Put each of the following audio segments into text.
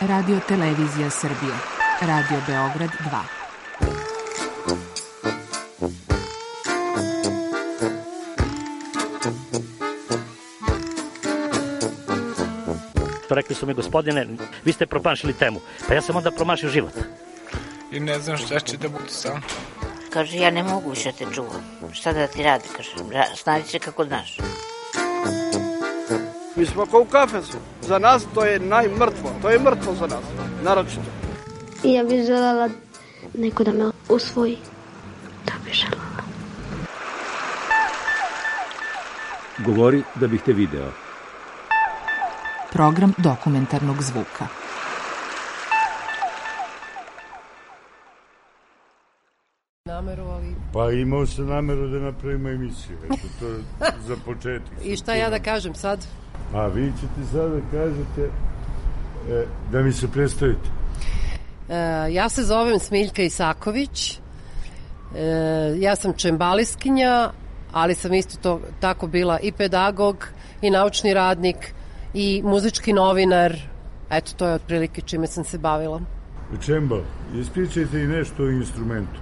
Radio Televizija Srbije, Radio Beograd 2. Rekli su mi, gospodine, vi ste promašili temu. Pa ja sam onda promašio život. I ne znam šta će da bude sam. Kaže, ja ne mogu više te čuvam. Šta da ti radi, kaže, snađi se kako znaš. Mi smo kao u kafesu. Za nas to je najmrtvo. To je mrtvo za nas, naročito. I ja bih želela neko da me usvoji. To bih želela. Govori da bih te video. Program dokumentarnog zvuka. Pa imao sam nameru da napravimo emisiju, eto to za početak. I šta ja da kažem sad? A vi ćete sad da kažete da mi se predstavite. Ja se zovem Smiljka Isaković, ja sam čembaliskinja, ali sam isto tako bila i pedagog, i naučni radnik, i muzički novinar. Eto, to je otprilike čime sam se bavila. Čembal, ispričajte i nešto o instrumentu.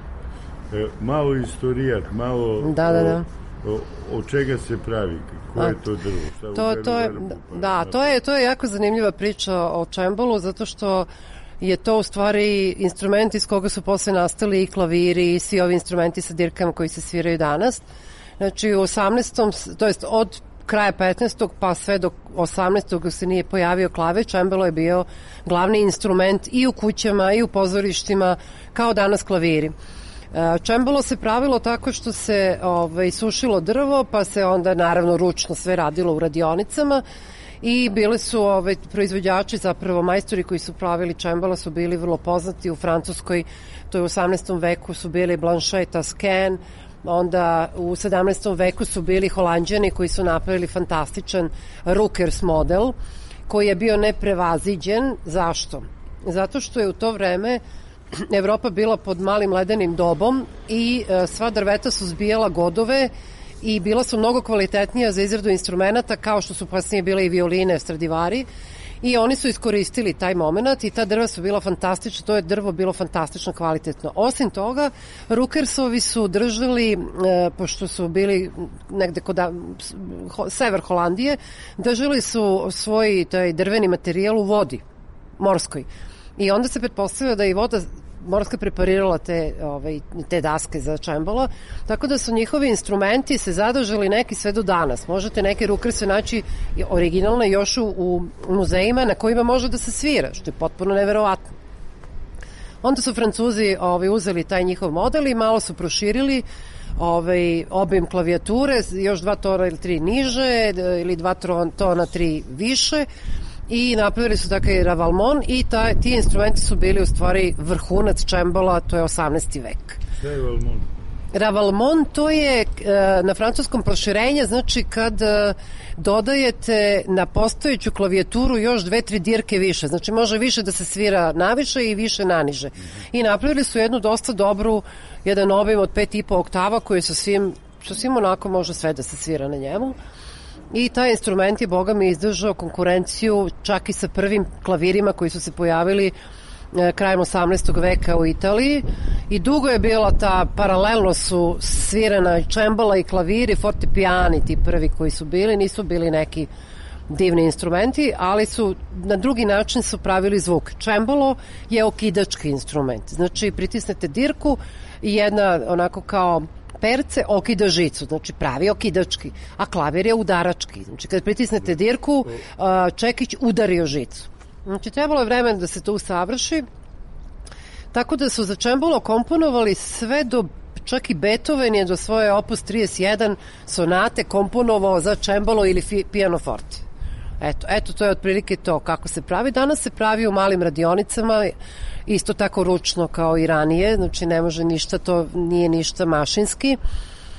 Malo istorijat, malo da. O čega se pravi, koje je to drvo? To je jako zanimljiva priča o čembalu, zato što je to u stvari instrument iz koga su posle nastali i klaviri i svi ovi instrumenti sa dirkama koji se sviraju danas. Znači u 18. to jest od kraja 15. pa sve do 18. se nije pojavio klavir, čembalo je bio glavni instrument i u kućama i u pozorištima, kao danas klaviri. Čembalo se pravilo tako što se sušilo drvo, pa se onda naravno ručno sve radilo u radionicama i bili su proizvođači, zapravo majstori koji su pravili čembala su bili vrlo poznati u Francuskoj, to je u 18. veku su bili Blanchet, Tasken, onda u 17. veku su bili Holanđani koji su napravili fantastičan Rukers model koji je bio neprevaziđen. Zašto? Zato što je u to vreme Evropa bila pod malim ledenim dobom i sva drveta su zbijala godove i bila su mnogo kvalitetnija za izradu instrumenta, kao što su kasnije bile i violine, Stradivari, i oni su iskoristili taj moment i ta drva su bila fantastična, to je drvo bilo fantastično kvalitetno. Osim toga, Rukersovi su držali, pošto su bili negde kod sever Holandije, držali su svoj taj drveni materijal u vodi, morskoj. I onda se pretpostavlja da i voda morska preparirala te daske za čembalo, tako da su njihovi instrumenti se zadržali neki sve do danas. Možete neke rukerse naći originalne još u muzejima na kojima može da se svira, što je potpuno neverovatno. Onda su Francuzi uzeli taj njihov model i malo su proširili obim klavijature, još 2 tona ili 3 niže ili 2 tona 3 više, i napravili su takav ravalmon i ti instrumenti su bili u stvari vrhunac čembala, to je 18. vek. Šta je ravalmon? Ravalmon to je na francuskom proširenje, znači kad dodajete na postojeću klavijaturu još 2-3 dirke više, znači može više da se svira naviše i više naniže. I napravili su jednu dosta dobru, jedan obim od 5,5 oktava koji sa svim onako može sve da se svira na njemu. I taj instrument je, boga mi, izdržao konkurenciju čak i sa prvim klavirima koji su se pojavili krajem 18. veka u Italiji i dugo je bila ta, paralelno su svirana čembala i klaviri, fortepijani ti prvi koji su bili, nisu bili neki divni instrumenti, ali su na drugi način su pravili zvuk. Čembalo je okidački instrument, znači pritisnete dirku i jedna onako kao perce okida žicu, znači pravi okidački, a klavir je udarački. Znači kad pritisnete dirku, čekić udario žicu. Znači trebalo je vremena da se to usavrši, tako da su za čembalo komponovali sve do, čak i Beethoven je do svoje opus 31 sonate komponovao za čembalo ili pianoforte. Eto, to je otprilike to kako se pravi. Danas se pravi u malim radionicama, isto tako ručno kao i ranije, znači ne može ništa, to nije ništa mašinski.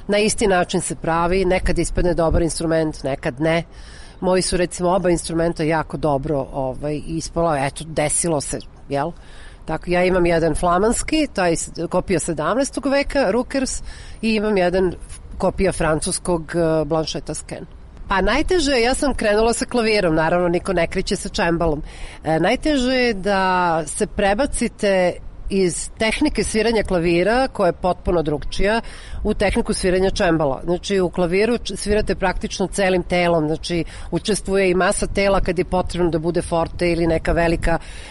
Na isti način se pravi, nekad ispadne dobar instrument, nekad ne. Moji su recimo oba instrumenta jako dobro ispala, eto, desilo se, jel? Tako, ja imam jedan flamanski, taj kopija 17. veka, Rukers, i imam jedan kopija francuskog Blanchet Tasken. Pa najteže, ja sam krenula sa klavirom, naravno niko ne kreće sa čembalom. Najteže je da se prebacite iz tehnike sviranja klavira, koja je potpuno drugčija, u tehniku sviranja čembala. Znači, u klaviru svirate praktično celim telom, znači, učestvuje i masa tela kad je potrebno da bude forte ili neka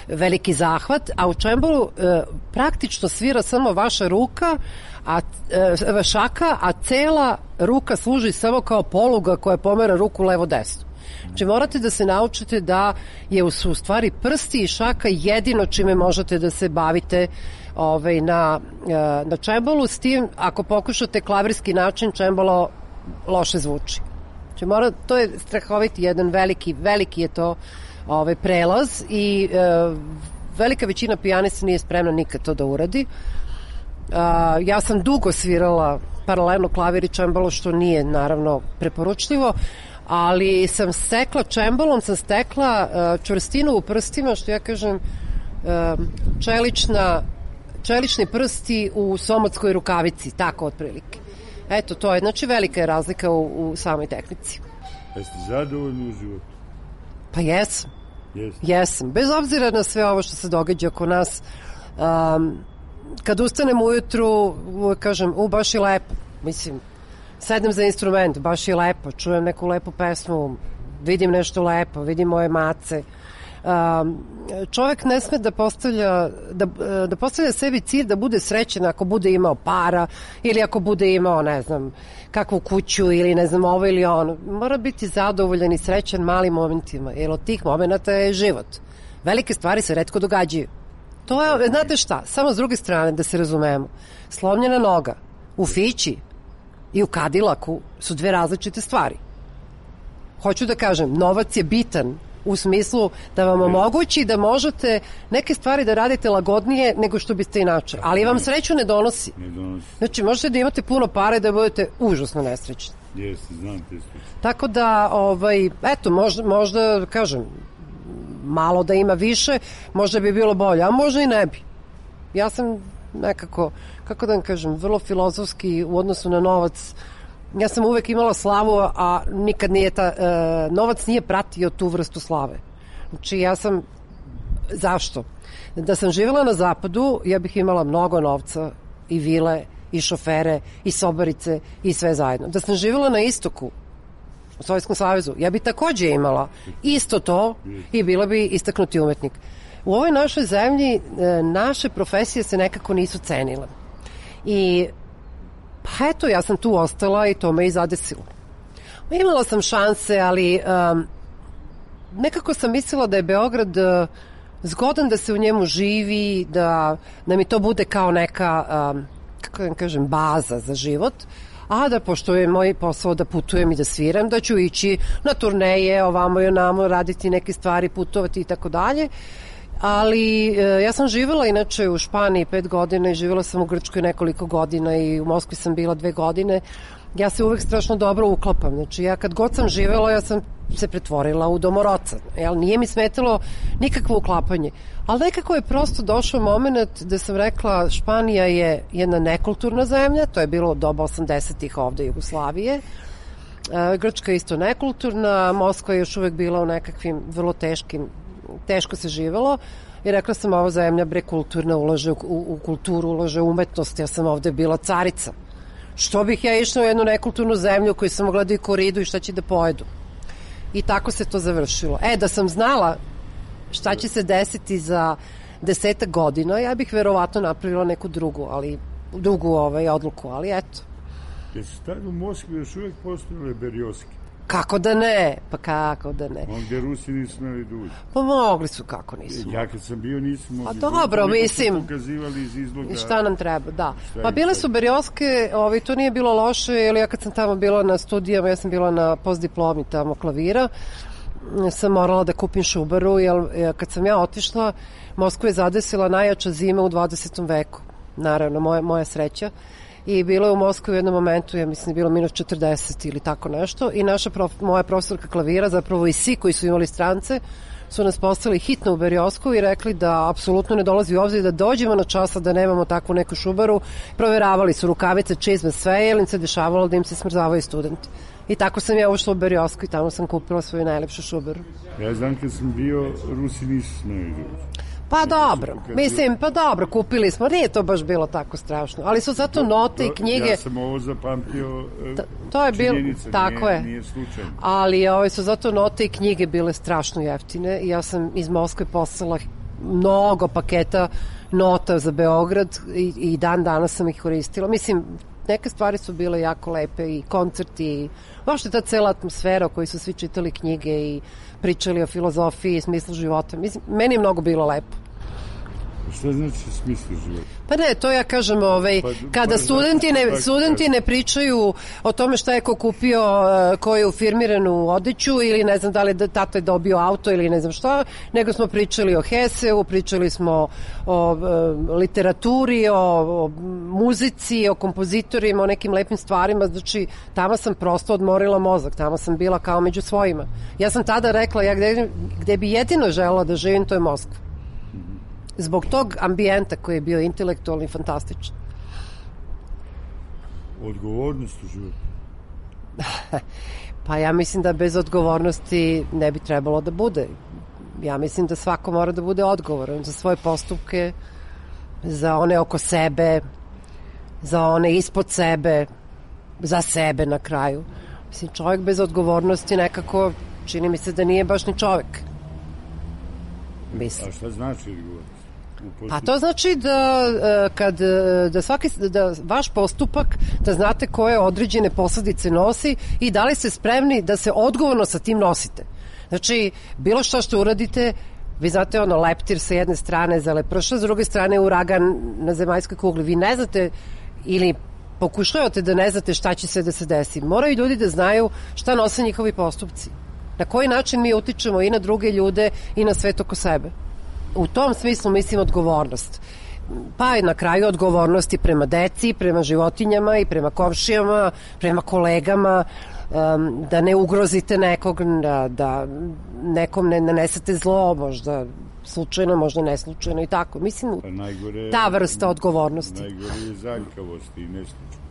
veliki zahvat, a u čembalu praktično svira samo vaša ruka, šaka, a cela ruka služi samo kao poluga koja pomera ruku levo-desno. Znači morate da se naučite da su u stvari prsti i šaka jedino čime možete da se bavite na čembalu, s tim ako pokušate klavirski način, čembalo loše zvuči. Znači to je strahoviti jedan veliki je to prelaz i velika većina pijanista nije spremna nikad to da uradi. Ja sam dugo svirala paralelno klavir i čembalo, što nije naravno preporučljivo, ali sam stekla čembalom, čvrstinu u prstima, što ja kažem, čelični prsti u somotskoj rukavici, tako otprilike. Eto, to je, znači velika je razlika u samoj tehnici. Jeste zadovoljni u životu? Pa jesam. Jesam. Bez obzira na sve ovo što se događa oko nas, kad ustanem ujutru, uvek kažem, baš je lepo, mislim, sedem za instrument, baš je lepo, čujem neku lepu pesmu, vidim nešto lepo, vidim moje mace. Čovek ne sme da postavlja sebi cilj da bude srećen ako bude imao para ili ako bude imao, ne znam, kakvu kuću ili ne znam ovo ili ono. Mora biti zadovoljan i srećan malim momentima, jer od tih momenta je život. Velike stvari se retko događaju. To je, znate šta, samo s druge strane da se razumemo, slomljena noga u Fići i u Kadilaku su dve različite stvari. Hoću da kažem, novac je bitan u smislu da vam omogući da možete neke stvari da radite lagodnije nego što biste inače, ali vam sreću ne donosi. Znači, možete da imate puno para i da budete užasno nesrećni. Jeste, znam te slučaje. Tako da, eto, možda, kažem, malo da ima više, možda bi bilo bolje, a možda i ne bi. Ja sam nekako, kako da vam kažem, vrlo filozofski u odnosu na novac. Ja sam uvek imala slavu, a nikad nije novac nije pratio tu vrstu slave. Znači, ja sam, zašto? Da sam živjela na zapadu, ja bih imala mnogo novca i vile, i šofere, i sobarice, i sve zajedno. Da sam živjela na istoku, u Sovjetskom savezu, ja bi takođe imala isto to i bila bi istaknuti umetnik. U ovoj našoj zemlji naše profesije se nekako nisu cenile. I pa eto, ja sam tu ostala i to me i zadesilo. Imala sam šanse, ali nekako sam mislila da je Beograd zgodan da se u njemu živi, da mi to bude kao neka, kako da kažem, baza za život, a da pošto je moj posao da putujem i da sviram, da ću ići na turneje, ovamo i onamo, raditi neke stvari, putovati i tako dalje. Ali ja sam živjela inače u Španiji 5 godina i živjela sam u Grčkoj nekoliko godina i u Moskvi sam bila 2 godine. Ja se uvek strašno dobro uklapam. Znači, ja kad god sam živjela, ja sam se pretvorila u domoroca. Nije mi smetalo nikakvo uklapanje. Ali nekako je prosto došao moment da sam rekla, Španija je jedna nekulturna zemlja, to je bilo doba 80-ih ovde Jugoslavije. Grčka je isto nekulturna, Moskva je još uvek bila u nekakvim vrlo teško se živelo i rekla sam, ova zemlja kulturna, ulaže u kulturu, ulaže u umetnost, ja sam ovde bila carica. Što bih ja išla u jednu nekulturnu zemlju u kojoj sam mogla da i koridu i šta će da pojedu. I tako se to završilo. Da sam znala šta će se desiti za 10 godina, ja bih verovatno napravila neku drugu odluku, ali eto. Jesu tada u Moskvi još uvek postojale berioske? Kako da ne? Pa kako da ne? Gde Rusi nisu smeli da uđu. Pa mogli su, kako nisu. Ja kad sam bio nisam mogli. Pa dobro, mislim. Pokazivali iz izloga. I šta nam treba, da. Pa bile su berioske, to nije bilo loše, jer ja kad sam tamo bila na studijama, ja sam bila na postdiplomi tamo klavira, sam morala da kupim šubaru, jer kad sam ja otišla, Moskva je zadesila najjača zima u 20. veku. Naravno, moja sreća. i bilo je u Moskvi u jednom momentu, ja mislim, je bilo minus 40 ili tako nešto, i moja profesorka klavira, zapravo i svi koji su imali strance, su nas poslali hitno u Beriosku i rekli da apsolutno ne dolazi u obzir da dođemo na časa, da nemamo takvu neku šubaru. Proveravali su rukavice, čizme, sve, jer im se dešavalo da im se smrzavaju studenti. I tako sam ja ušla u Beriosku i tamo sam kupila svoju najlepšu šubaru. Ja znam kad sam bio, Rusi nisu smeli. Pa dobro, mislim, pa dobro, kupili smo, nije to baš bilo tako strašno, ali su zato note i knjige... Ja sam ovo zapamtio, to je bilo, tako nije slučajno. Ali su zato note i knjige bile strašno jeftine i ja sam iz Moskve poslala mnogo paketa nota za Beograd i dan danas sam ih koristila. Mislim, neke stvari su bile jako lepe i koncerti i uopšte ta cela atmosfera u kojoj su svi čitali knjige i pričali o filozofiji i smislu života. Mislim, meni je mnogo bilo lepo. Šta znači smislu života? Pa ne, to ja kažem, kada studenti ne pričaju o tome šta je ko kupio, ko je u firmiranu odeću ili ne znam da li tata je dobio auto ili ne znam šta, nego smo pričali o Heseu, pričali smo o literaturi, o muzici, o kompozitorima, o nekim lepim stvarima, znači tamo sam prosto odmorila mozak, tamo sam bila kao među svojima. Ja sam tada rekla, ja gde bi jedino želela da živim, to je Moskva. Zbog tog ambijenta koji je bio intelektualni i fantastičan. Odgovornost u životu? Pa ja mislim da bez odgovornosti ne bi trebalo da bude. Ja mislim da svako mora da bude odgovoran za svoje postupke, za one oko sebe, za one ispod sebe, za sebe na kraju. Mislim, čovjek bez odgovornosti nekako, čini mi se da nije baš ni čovjek. Mislim. A šta znači odgovornost? Pa to znači da vaš postupak, da znate koje određene posledice nosi i da li ste spremni da se odgovorno sa tim nosite. Znači, bilo što uradite, vi znate leptir sa jedne strane za leprša, s druge strane uragan na zemaljskoj kugli. Vi ne znate ili pokušavate da ne znate šta će se da se desi. Moraju ljudi da znaju šta nose njihovi postupci. Na koji način mi utičemo i na druge ljude i na svet oko sebe. U tom smislu mislim odgovornost. Pa je na kraju odgovornosti prema deci, prema životinjama i prema komšijama, prema kolegama, da ne ugrozite nekog, da nekom ne nanesete zlo, možda slučajno, možda neslučajno i tako. Mislim, ta vrsta odgovornosti. Najgore je zaljkavost i neslučajno.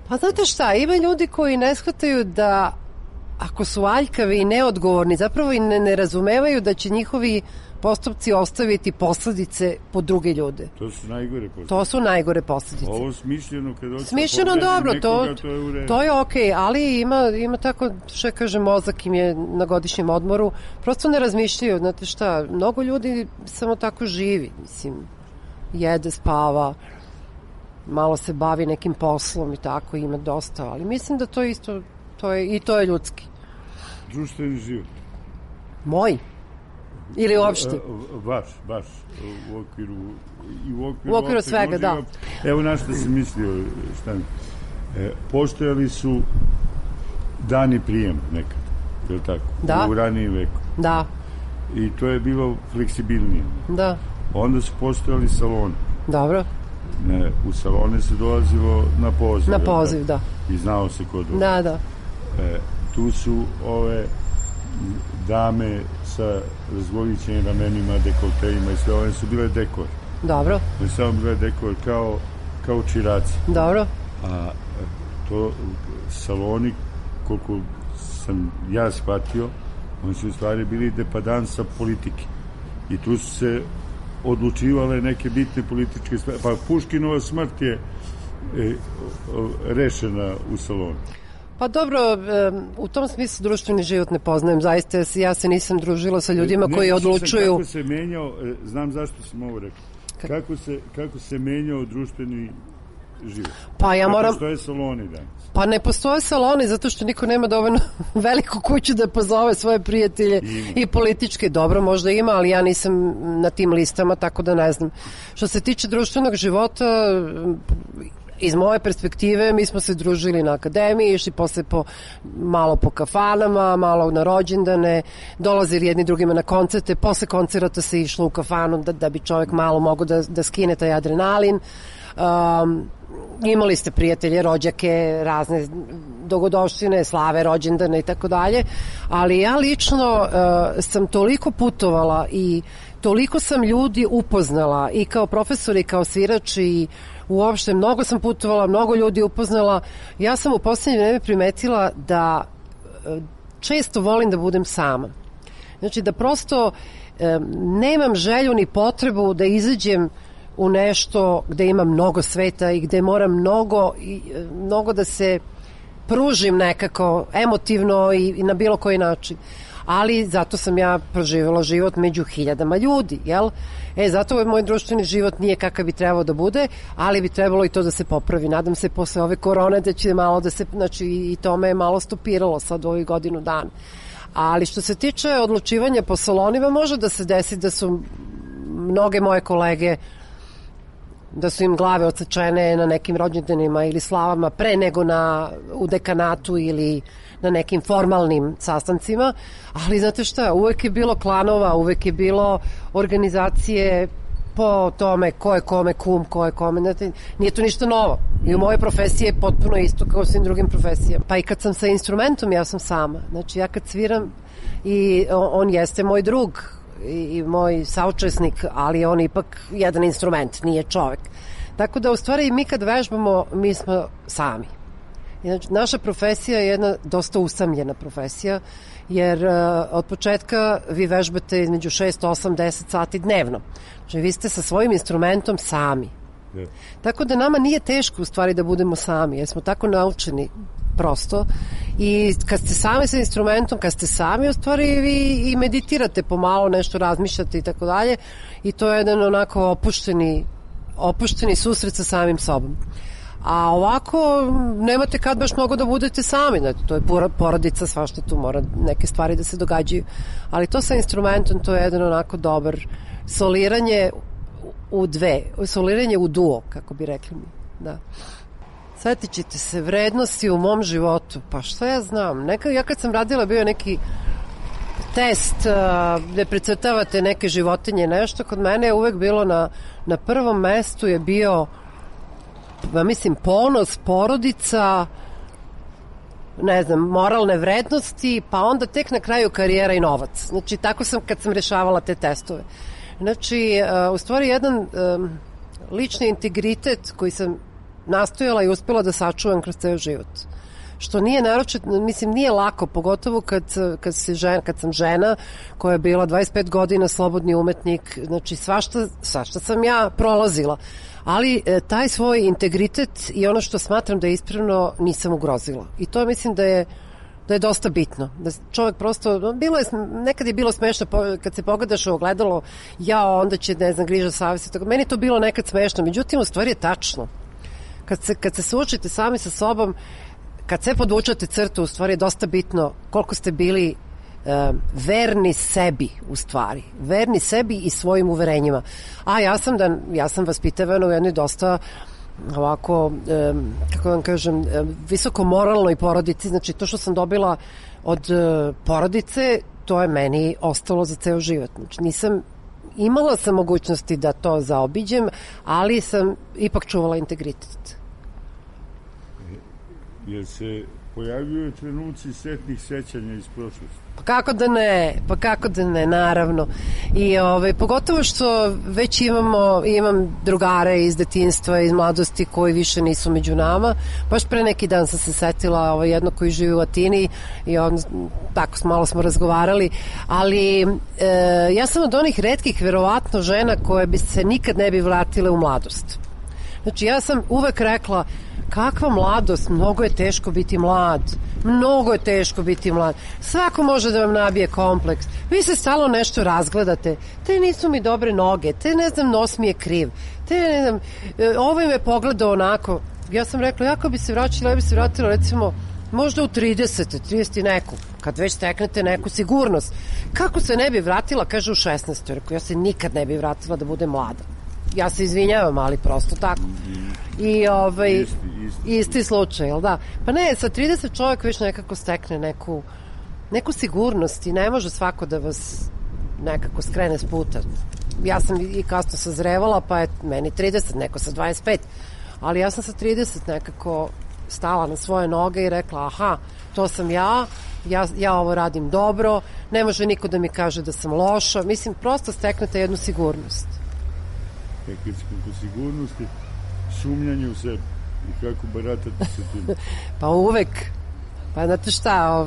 Pa znate šta, ima ljudi koji ne shvataju da ako su aljkavi i neodgovorni, zapravo i ne razumevaju da će njihovi postupci ostaviti posledice po druge ljude. To su najgore posledice. To su najgore posledice. Ovo smišljeno kad hoće smišljeno dobro, nekoga, to je okej, ali ima tako, što kaže, mozak im je na godišnjem odmoru, prosto ne razmišljaju, znate šta, mnogo ljudi samo tako živi, mislim, jede, spava, malo se bavi nekim poslom i tako, ima dosta, ali mislim da to isto, to je ljudski. Društveni život. Moj? Ili uopšte? Baš. U okviru svega, da. Evo na što sam mislio, postojali su dani prijem nekad, je li tako? Da. U ranijem veku. Da. I to je bilo fleksibilnije. Da. Onda su postojali saloni. Dobro. U salone se dolazilo na poziv. Na poziv, da. I znao se ko dolazi. Da. Tu su ove dame sa razgolićenim ramenima, dekolteima i sve, one su bile dekor. Dobro. One su samo bile dekor kao čiraci. Dobro. A to saloni, koliko sam ja shvatio, oni su u stvari bili depadansa politike. I tu su se odlučivale neke bitne političke stvari. Pa Puškinova smrt je rešena u salonu. Pa dobro, u tom smislu društveni život ne poznajem, zaista ja se nisam družila sa ljudima koji odlučuju. Kako se menjao, znam zašto sam ovo rekao, kako se menjao društveni život. Pa ja moram... Postoje saloni danas. Pa ne postoje saloni zato što niko nema dovoljno veliku kuću da pozove svoje prijatelje i političke. Dobro, možda ima, ali ja nisam na tim listama, tako da ne znam. Što se tiče društvenog života, iz moje perspektive mi smo se družili na akademiji, išli posle malo po kafanama, malo na rođendane, dolazili jedni drugima na koncerte, posle koncerata se išlo u kafanu da bi čovjek malo mogao da skine taj adrenalin. imali ste prijatelje, rođake, razne dogodovštine, slave, rođendane i tako dalje, ali ja lično sam toliko putovala i toliko sam ljudi upoznala i kao profesor i kao svirač i uopšte mnogo sam putovala, mnogo ljudi upoznala. Ja sam u poslednje vreme primetila da često volim da budem sama. Znači da prosto nemam želju ni potrebu da izađem u nešto gde ima mnogo sveta i gde moram mnogo da se pružim nekako emotivno i na bilo koji način. Ali zato sam ja proživjela život među hiljadama ljudi, jel? Zato moj društveni život nije kakav bi trebao da bude, ali bi trebalo i to da se popravi. Nadam se posle ove korone da će malo da se, znači i to me je malo stopiralo sad u ovih godinu dana. Ali što se tiče odlučivanja po salonima, može da se desi da su mnoge moje kolege, da su im glave odsečene na nekim rođendanima ili slavama pre nego u dekanatu ili na nekim formalnim sastancima, ali znate šta, uvek je bilo klanova, uvek je bilo organizacije po tome ko je kome kum, ko je kome, znate, nije to ništa novo. I u mojoj profesiji je potpuno isto kao u svim drugim profesijama. Pa i kad sam sa instrumentom, ja sam sama. Znači ja kad sviram i on jeste moj drug i moj saučesnik, ali on ipak jedan instrument, nije čovek. Tako da u stvari mi kad vežbamo, mi smo sami. Znači, naša profesija je jedna dosta usamljena profesija, jer od početka vi vežbate između 6, 8, 10 sati dnevno. Znači vi ste sa svojim instrumentom sami. Tako da nama nije teško u stvari da budemo sami, jer smo tako naučeni prosto i kad ste sami sa instrumentom, kad ste sami u stvari vi i meditirate pomalo, nešto razmišljate i tako dalje i to je jedan onako opušteni susret sa samim sobom. A ovako nemate kad baš mnogo da budete sami, znači, to je porodica, svašta tu mora neke stvari da se događaju, ali to sa instrumentom to je jedan onako dobar soliranje soliranje u duo, kako bi rekli mi, da. Sjetit ćete se vrednosti u mom životu, pa šta ja znam, ja kad sam radila bio neki test gde precrtavate neke životinje, nešto, kod mene je uvek bilo na prvom mestu je bio, mislim, ponos, porodica, ne znam, moralne vrednosti, pa onda tek na kraju karijera i novac. Znači, tako sam kad sam rešavala te testove. Znači, u stvari jedan lični integritet koji sam nastojala i uspela da sačuvam kroz ceo život. Što nije naročito, mislim, nije lako, pogotovo kad sam žena koja je bila 25 godina slobodni umetnik, znači svašta sam ja prolazila, ali taj svoj integritet i ono što smatram da je ispravno nisam ugrozila. I to mislim da je dosta bitno. Da čovjek prosto, nekad je bilo smešno kad se pogledaš u ogledalo, onda će, ne znam, griža savjesti, meni je to bilo nekad smešno, međutim u stvari je tačno. Kad se suočite sami sa sobom, kad sve podvučate crtu, u stvari je dosta bitno koliko ste bili verni sebi, u stvari. Verni sebi i svojim uverenjima. A ja sam vaspitavana u jednoj dosta ovako, kako vam kažem, visoko moralnoj porodici. Znači, to što sam dobila od porodice, to je meni ostalo za ceo život. Znači, imala sam mogućnosti da to zaobiđem, ali sam ipak čuvala integritet. Jer se pojavljuju trenuci setnih sećanja iz prošlosti? Pa kako da ne, naravno. I pogotovo što već imam drugare iz detinjstva, iz mladosti koji više nisu među nama. Baš pre neki dan sam se setila jedno koji živi u Atini i tako malo smo razgovarali, ali ja sam od onih retkih verovatno žena koje bi se nikad ne bi vratile u mladost. Znači ja sam uvek rekla, kakva mladost, mnogo je teško biti mlad, svako može da vam nabije kompleks, vi se stalno nešto razgledate, te nisu mi dobre noge, te ne znam, nos mi je kriv, te ne znam, ovaj me pogledao onako. Ja sam rekla, jako bi se vraćala, ja bi se vratila recimo možda u 30 i neku, kad već steknete neku sigurnost. Kako se ne bi vratila, kaže u 16. Rekao, ja se nikad ne bi vratila da bude mlada. Ja se izvinjavam, ali prosto tako. I isti slučaj, jel da? Pa ne, sa 30 čovjek već nekako stekne neku sigurnost i ne može svako da vas nekako skrene s puta. Ja sam i kasno sazrevala, pa je meni 30, neko sa 25. ali ja sam sa 30 nekako stala na svoje noge i rekla, aha, to sam ja ovo radim dobro, ne može niko da mi kaže da sam loša, mislim, prosto steknete jednu sigurnost. Kad smo sigurnosti, sumnjanje u sebi i kako baratate sa tim? Pa uvek. Pa znate šta,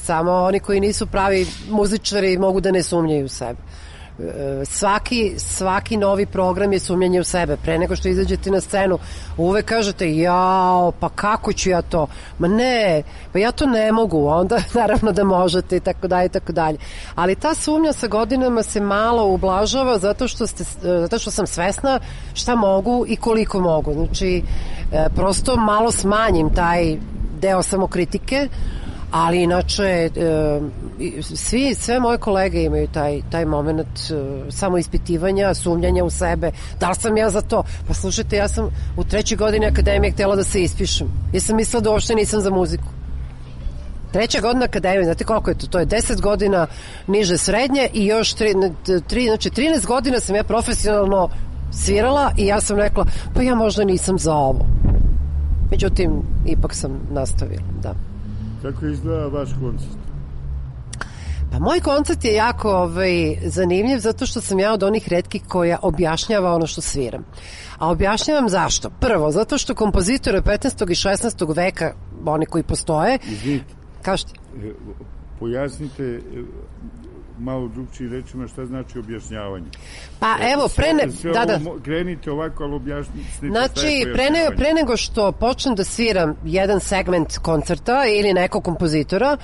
samo oni koji nisu pravi muzičari mogu da ne sumnjaju u sebe. Svaki novi program je sumnjanje u sebe. Pre nego što izađete na scenu, uvek kažete, jao, pa kako ću ja to? Ma ne, pa ja to ne mogu. Onda naravno da možete i tako dalje i tako dalje. Ali ta sumnja sa godinama se malo ublažava zato što sam svesna šta mogu i koliko mogu. Znači, prosto malo smanjim taj deo samokritike, ali inače sve moje kolege imaju taj moment samoispitivanja, sumnjanja u sebe. Da li sam ja za to? Pa slušajte, ja sam u 3. godini akademije htjela da se ispišem. Ja sam mislila da uopšte nisam za muziku. 3. godina akademije, znate koliko je to? To je 10 godina niže srednje i još znači 13 godina sam ja profesionalno svirala i ja sam rekla, pa ja možda nisam za ovo. Međutim, ipak sam nastavila, da. Kako izgleda vaš koncert? Pa moj koncert je jako zanimljiv zato što sam ja od onih retkih koja objašnjava ono što sviram. A objašnjavam zašto? Prvo, zato što kompozitori 15. i 16. veka, oni koji postoje... Izvinite. Kažete? Pojasnite malo drugčijim rečima šta znači objašnjavanje. Pa evo, krenite ovako, ali objasnite. Znači, pre nego što počnem da sviram jedan segment koncerta ili nekog kompozitora,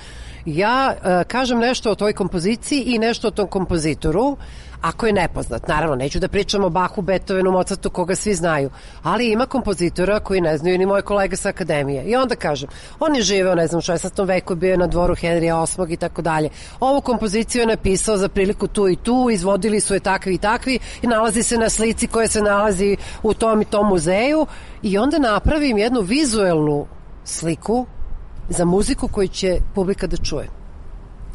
ja kažem nešto o toj kompoziciji i nešto o tom kompozitoru, ako je nepoznat. Naravno, neću da pričam o Bachu, Beethovenu, Mozartu, koga svi znaju, ali ima kompozitora koji ne znaju ni moje kolege sa akademije. I onda kažem, on je živeo, ne znam, u 16. veku, bio je na dvoru Henrija VIII i tako dalje. Ovu kompoziciju je napisao za priliku tu i tu, izvodili su je takvi i takvi i nalazi se na slici koja se nalazi u tom i tom muzeju i onda napravim jednu vizuelnu sliku za muziku koju će publika da čuje.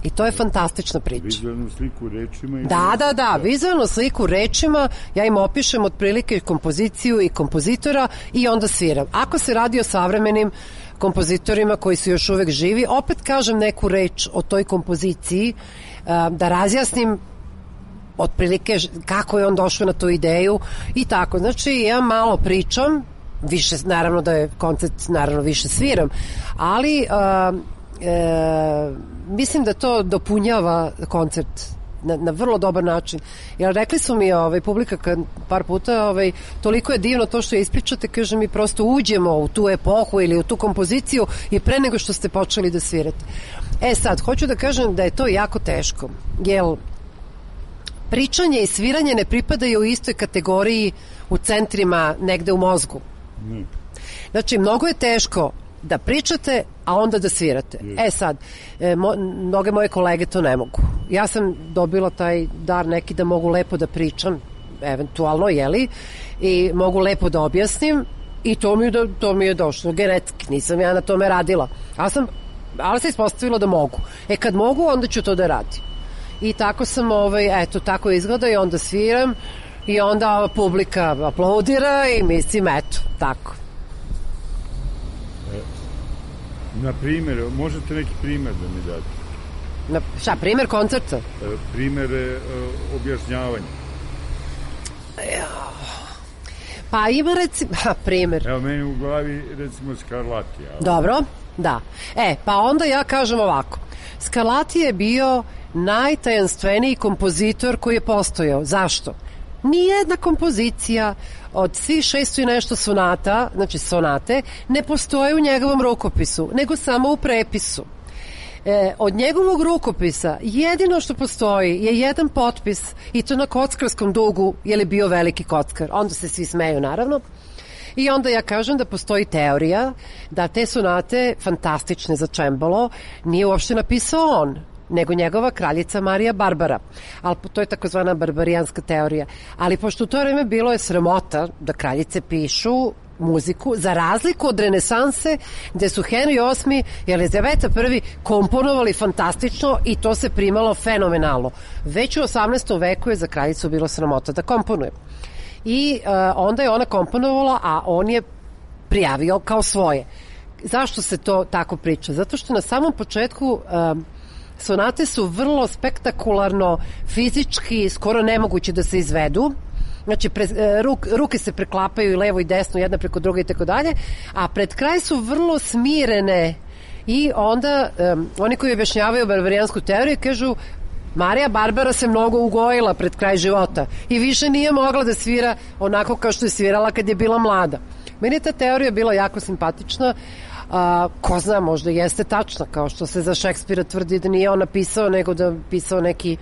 I to je fantastična priča. Vizualnu sliku rečima? Da, vizualnu sliku rečima, ja im opišem otprilike kompoziciju i kompozitora i onda sviram. Ako se radi o savremenim kompozitorima koji su još uvek živi, opet kažem neku reč o toj kompoziciji, da razjasnim otprilike kako je on došao na tu ideju i tako. Znači, ja malo pričam, više, naravno da je koncert, naravno više sviram, ali mislim da to dopunjava koncert na vrlo dobar način. Jer rekli su mi publika par puta, toliko je divno to što je ispričate, kaže mi prosto uđemo u tu epohu ili u tu kompoziciju i pre nego što ste počeli da svirate. Sad, hoću da kažem da je to jako teško, jer pričanje i sviranje ne pripadaju u istoj kategoriji u centrima negde u mozgu. Znači, mnogo je teško da pričate, a onda da svirate. Sad, mnoge moje kolege to ne mogu. Ja sam dobila taj dar neki da mogu lepo da pričam, eventualno, i mogu lepo da objasnim i to mi je došlo genetski, nisam ja na tome radila. Ali se ispostavilo da mogu. Kad mogu, onda ću to da radim. I tako sam, tako izgleda i onda sviram i onda publika aplaudira i mislim, tako. Na primjer, možete neki primjer da mi date? Šta, primjer koncerta? Primjer objašnjavanja. Pa ima recimo, primjer. Evo, meni u glavi recimo Scarlatti. Dobro, da. Pa onda ja kažem ovako. Scarlatti je bio najtajanstveniji kompozitor koji je postojao. Zašto? Nijedna kompozicija od svih 600 i nešto sonata, znači sonate, ne postoje u njegovom rukopisu, nego samo u prepisu. Od njegovog rukopisa jedino što postoji je jedan potpis i to na kockarskom dugu, jer je bio veliki kockar. Onda se svi smeju, naravno. I onda ja kažem da postoji teorija da te sonate, fantastične za čembalo, nije uopšte napisao on, nego njegova kraljica Marija Barbara. Ali to je takozvana barbarijanska teorija. Ali pošto u to vreme bilo je sramota da kraljice pišu muziku, za razliku od renesanse, gde su Henry VIII i Elizaveta I komponovali fantastično i to se primalo fenomenalno. Već u 18. veku je za kraljicu bilo sramota da komponuje. I onda je ona komponovala, a on je prijavio kao svoje. Zašto se to tako priča? Zato što na samom početku sonate su vrlo spektakularno, fizički, skoro nemoguće da se izvedu. Znači, ruke se preklapaju i levo i desno, jedna preko druge i tako dalje, a pred kraj su vrlo smirene i onda oni koji objašnjavaju barbarijansku teoriju kažu Marija Barbara se mnogo ugojila pred kraj života i više nije mogla da svira onako kao što je svirala kad je bila mlada. Meni je ta teorija bila jako simpatična. Ko zna, možda jeste tačna, kao što se za Šekspira tvrdi da nije on napisao, nego da pisao neki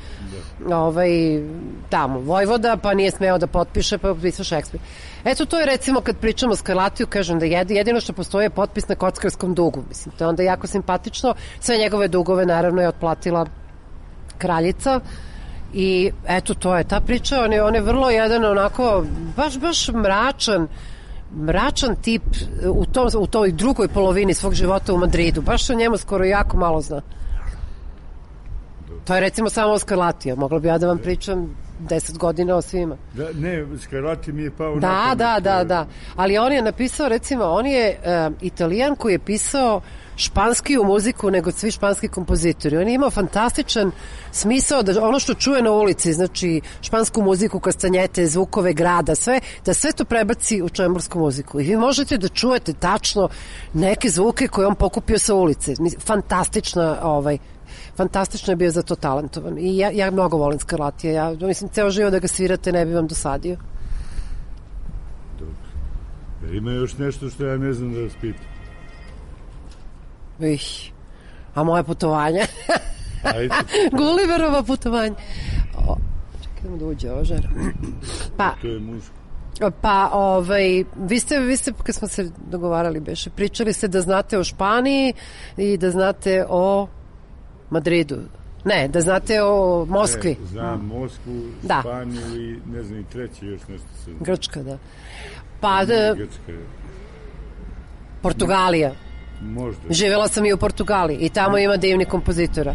tamo vojvoda, pa nije smeo da potpiše, pa potpisao Šekspir. Eto, to je recimo kad pričamo o Skarlatiju, kažem da jedino što postoje je potpis na kockarskom dugu. Mislim, to je onda jako simpatično. Sve njegove dugove naravno je otplatila kraljica i eto, to je ta priča. On je vrlo jedan onako baš mračan tip u toj drugoj polovini svog života u Madridu. Baš o njemu skoro jako malo zna. To je recimo samo o Skarlatiju. Mogla bi ja da vam pričam 10 godina o svima. Ne, Skarlati mi je pao Da. Ali on je napisao, recimo, on je Italijan koji je pisao španskiju muziku nego svi španski kompozitori. On je imao fantastičan smisao da ono što čuje na ulici, znači špansku muziku, kastanjete, zvukove grada, sve, da sve to prebaci u čembursku muziku. I vi možete da čujete tačno neke zvuke koje on pokupio sa ulice. Fantastično je bio za to talentovan. I ja mnogo volim Skarlatija. Ja mislim, ceo život da ga svirate ne bi vam dosadio. Dobro. Ima još nešto što ja ne znam da vas pitam. A moje putovanja? Gulliverova putovanja. Čekaj da uđe ova žena. To je muško. Vi ste kad smo se dogovarali beše, pričali ste da znate o Španiji i da znate o Madridu. Ne, da znate o Moskvi. Znam Moskvu, Španiju i ne znam i treće još nešto se... Grčka, da. Portugalija. Možda. Živjela sam i u Portugaliji i tamo ima divnih kompozitora.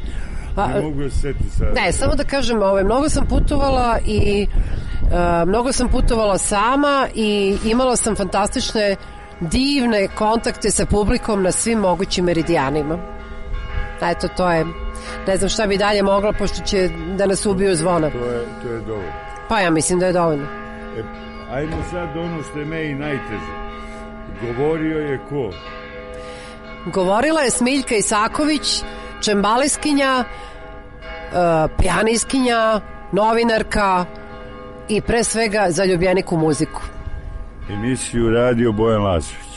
Ne mogu da se seti sad. Ne, samo da kažem, mnogo sam putovala i mnogo sam putovala sama i imala sam fantastične, divne kontakte sa publikom na svim mogućim meridijanima. Eto, to je, ne znam šta bi dalje mogla, pošto će da nas ubiju zvona. To je dovoljno. Pa ja mislim da je dovoljno. Ajmo sad ono što je meni najteže. Govorio je ko? Govorila je Smiljka Isaković, čembaleskinja, pijaniskinja, novinarka i pre svega zaljubljenik u muziku. Emisiju radio Bojan Lazović.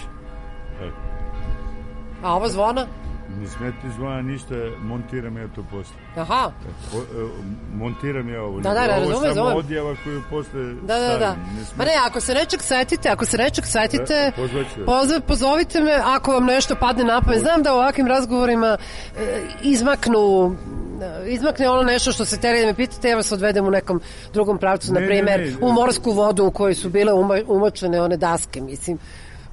A ovo zvona? Ne smeti zvona ništa, montiram ja to posle. Aha. Montiram ja ovo. Da, razumem. Ovo samo odjava koju posle stavim. Da. Ma ne, ako se nečeg setite, pozovite me ako vam nešto padne na pamet. Znam da u ovakvim razgovorima izmakne ono nešto što se teri da me pitate, ja vas odvedem u nekom drugom pravcu, na primer u morsku vodu u kojoj su bile umočene one daske, mislim.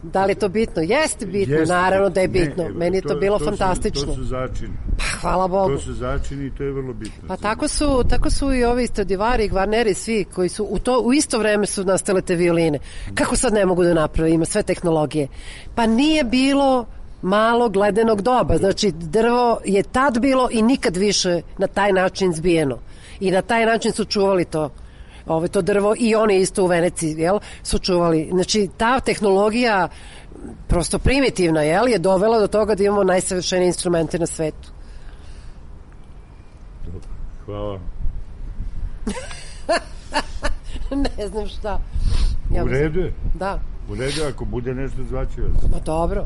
Da li je to bitno? Jeste bitno, naravno da je bitno. Meni je to bilo fantastično. To su začini. Hvala Bogu. To su začini i to je vrlo bitno. Pa tako su i ovi Stradivari i Gvarneri, svi koji su u isto vreme su nastale te violine. Kako sad ne mogu da naprave? Ima sve tehnologije. Pa nije bilo malo gledanog doba. Znači, drvo je tad bilo i nikad više na taj način zbijeno. I na taj način su čuvali to drvo i oni isto u Veneciji, su čuvali. Znači, ta tehnologija prosto primitivna, je dovela do toga da imamo najsavršenije instrumente na svetu. Dobro, hvala. Ne znam šta. U redu je? Da. U redu, ako bude nešto zvaću vas. Pa dobro.